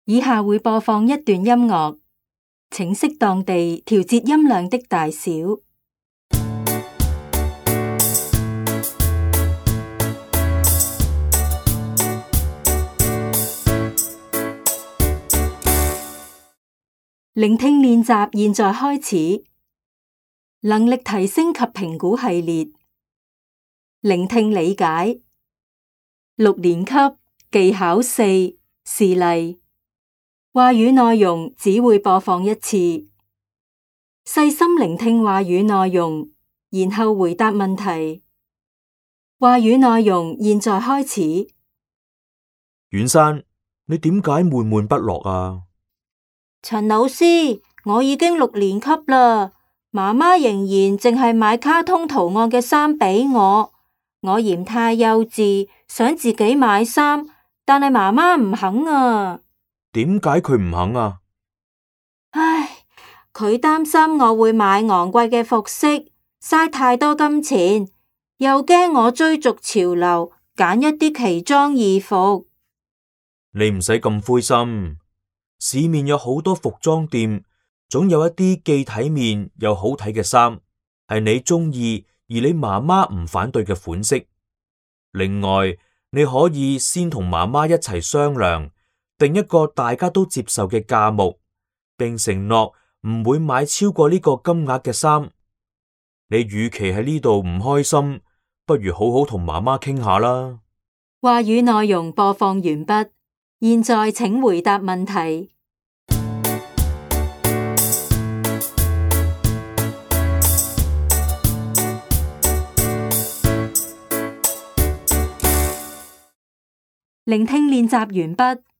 以下會播放一段音樂，請適當地調節音量的大小。聆聽練習現在開始。能力提升及評估系列，聆聽理解。6年級技巧4示例。話語內容只會播放一次。細心聆聽話語內容，然後回答問題。話語內容現在開始。遠山，你點解悶悶不樂啊？陳老師，我已經6年級啦，媽媽仍然淨係買卡通圖案嘅衫俾我。我嫌太幼稚，想自己買衫，但係媽媽唔肯啊。點解佢唔肯啊？唉，佢擔心我會買昂貴嘅服飾，嘥太多金錢，又驚我追逐潮流，揀一啲奇裝異服。你唔使咁灰心，市面有好多服裝店，總有一啲既體面又好睇嘅衫，係你中意而你媽媽唔反對嘅款式。另外，你可以先同媽媽一齊商量，定一個大家都接受嘅價目，並承諾唔會買超過呢個金額嘅衫。你與其喺呢度唔開心，不如好好同媽媽傾下啦。話語內容播放完畢，現在請回答問題。聆聽練習完畢。